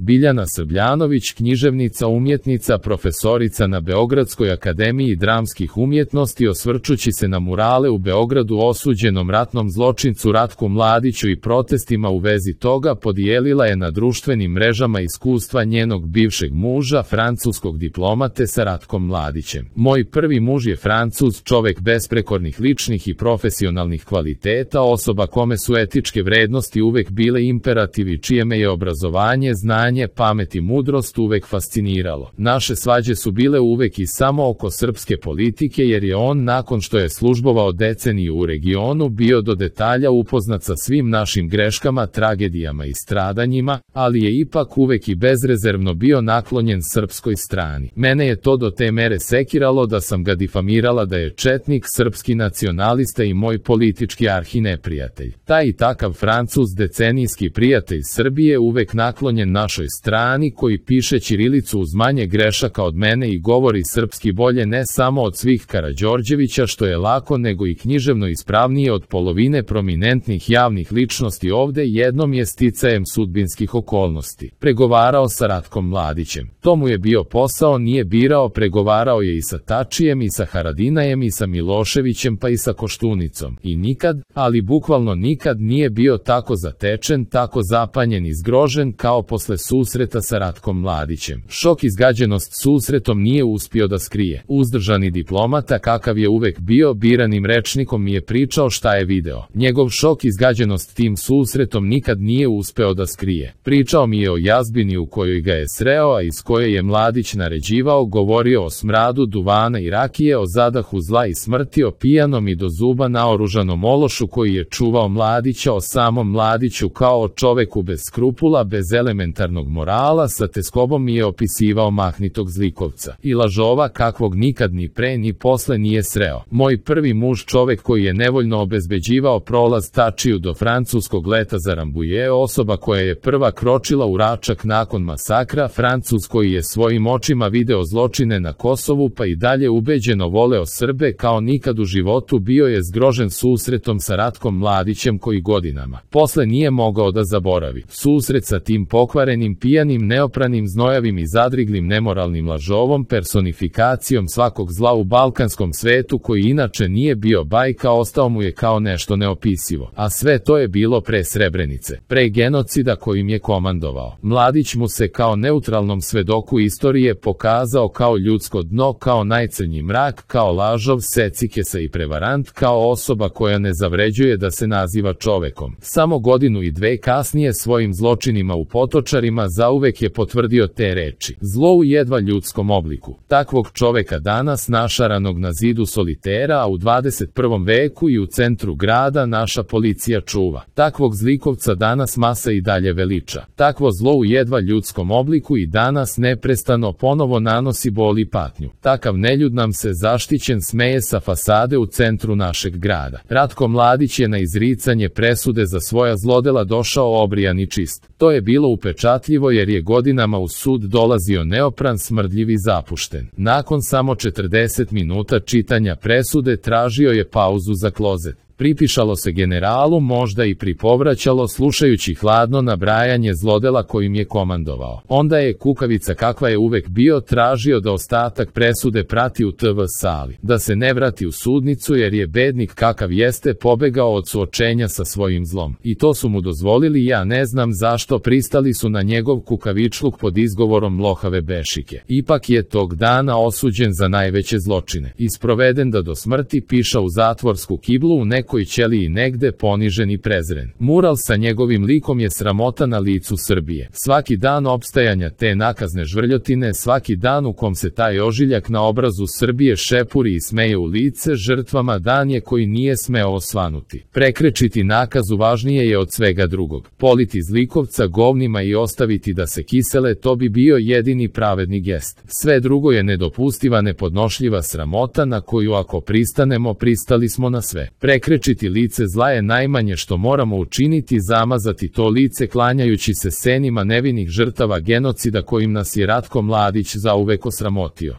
Biljana Srbljanović, književnica, umjetnica, profesorica na Beogradskoj akademiji dramskih umjetnosti, osvrćući se na murale u Beogradu osuđenom ratnom zločincu Ratku Mladiću i protestima u vezi toga, podijelila je na društvenim mrežama iskustva njenog bivšeg muža, francuskog diplomate sa Ratkom Mladićem. Moj prvi muž je Francuz, čovek besprekornih ličnih i profesionalnih kvaliteta, osoba kome su etičke vrednosti uvek bile imperativi, čije me je obrazovanje, znanje, pamet i mudrost uvek fasciniralo. Naše svađe su bile uvek i samo oko srpske politike, jer je on, nakon što je službovao deceniju u regionu, bio do detalja upoznat sa svim našim greškama, tragedijama i stradanjima, ali je ipak uvek i bezrezervno bio naklonjen srpskoj strani. Mene je to do te mere sekiralo da sam ga difamirala da je četnik, srpski nacionalista i moj politički arhineprijatelj. Taj i takav Francuz, decenijski prijatelj Srbije, uvek naklonjen našoj strani, koji piše ćirilicu uz manje grešaka od mene i govori srpski bolje ne samo od svih Karađorđevića, što je lako, nego i književno ispravnije od polovine prominentnih javnih ličnosti ovde, jednom je sticajem sudbinskih okolnosti pregovarao sa Ratkom Mladićem. To mu je bio posao, nije birao, pregovarao je i sa Tačijem i sa Haradinajem i sa Miloševićem pa i sa Koštunicom. I nikad, ali bukvalno nikad nije bio tako zatečen, tako zapanjen i zgrožen kao posle susreta sa Ratkom Mladićem. Šok i zgađenost susretom nije uspio da skrije. Uzdržani diplomata kakav je uvek bio, biranim rečnikom mi je pričao šta je video. Njegov šok i zgađenost tim susretom nikad nije uspeo da skrije. Pričao mi je o jazbini u kojoj ga je sreo, a iz koje je Mladić naređivao, govorio o smradu duvana i rakije, o zadahu zla i smrti, o pijanom i do zuba naoružanom ološu koji je čuvao Mladića, o samom Mladiću kao o čoveku bez skrupula, bez elementarnog morala, sa teskobom mi je opisivao mahnitog zlikovca i lažova kakvog nikad ni pre ni posle nije sreo. Moj prvi muž, čovek koji je nevoljno obezbeđivao prolaz Tačiju do francuskog leta za Rambuje, osoba koja je prva kročila u Račak nakon masakra, Francuz koji je svojim očima video zločine na Kosovu pa i dalje ubeđeno voleo Srbe kao nikad u životu, bio je zgrožen susretom sa Ratkom Mladićem koji godinama posle nije mogao da zaboravi. Susret sa tim pokvarenim, pijanim, neopranim, znojavim i zadriglim nemoralnim lažovom, personifikacijom svakog zla u balkanskom svetu, koji inače nije bio bajka, ostao mu je kao nešto neopisivo. A sve to je bilo pre Srebrenice, pre genocida kojim je komandovao. Mladić mu se kao neutralnom svedoku istorije pokazao kao ljudsko dno, kao najcrnji mrak, kao lažov, secikesa i prevarant, kao osoba koja ne zavređuje da se naziva čovekom. Samo godinu i dve kasnije svojim zločinima u Potočarima zauvek je potvrdio te reči. Zlo u jedva ljudskom obliku. Takvog čoveka danas, našaranog na zidu solitera, a u 21. veku i u centru grada, naša policija čuva. Takvog zlikovca danas masa i dalje veliča. Takvo zlo u jedva ljudskom obliku i danas neprestano ponovo nanosi bol i patnju. Takav neljud nam se zaštićen smeje sa fasade u centru našeg grada. Ratko Mladić je na izricanje presude za svoja zlodela došao obrijan i čist. To je bilo upečatljivo jer je godinama u sud dolazio neopran, smrdljiv i zapušten. Nakon samo 40 minuta čitanja presude tražio je pauzu za klozet. Pripišalo se generalu, možda i pripovraćalo, slušajući hladno nabrajanje zlodela kojim je komandovao. Onda je kukavica kakva je uvek bio tražio da ostatak presude prati u TV sali, da se ne vrati u sudnicu jer je bednik kakav jeste pobegao od suočenja sa svojim zlom. I to su mu dozvolili, ja ne znam zašto, pristali su na njegov kukavičluk pod izgovorom mlohave bešike. Ipak je tog dana osuđen za najveće zločine. Isproveden da do smrti, piša u zatvorsku kiblu u nekoj ćeliji negde, ponižen i prezren. Mural sa njegovim likom je sramota na licu Srbije. Svaki dan opstajanja te nakazne žvrljotine, svaki dan u kom se taj ožiljak na obrazu Srbije šepuri i smeje u lice žrtvama, dan je koji nije smeo osvanuti. Prekrečiti nakazu važnije je od svega drugog. Politi zlikovca govnima i ostaviti da se kisele, to bi bio jedini pravedni gest. Sve drugo je nedopustiva, nepodnošljiva sramota na koju ako pristanemo, pristali smo na sve. Prekrečiti lice zla je najmanje što moramo učiniti, zamazati to lice klanjajući se senima nevinih žrtava genocida kojim nas je Ratko Mladić zauvek osramotio.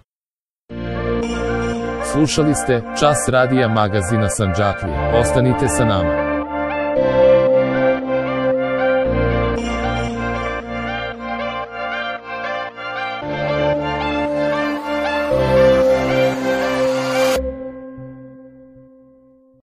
Slušali ste Čas radija magazina Sandžaklije. Ostanite sa nama.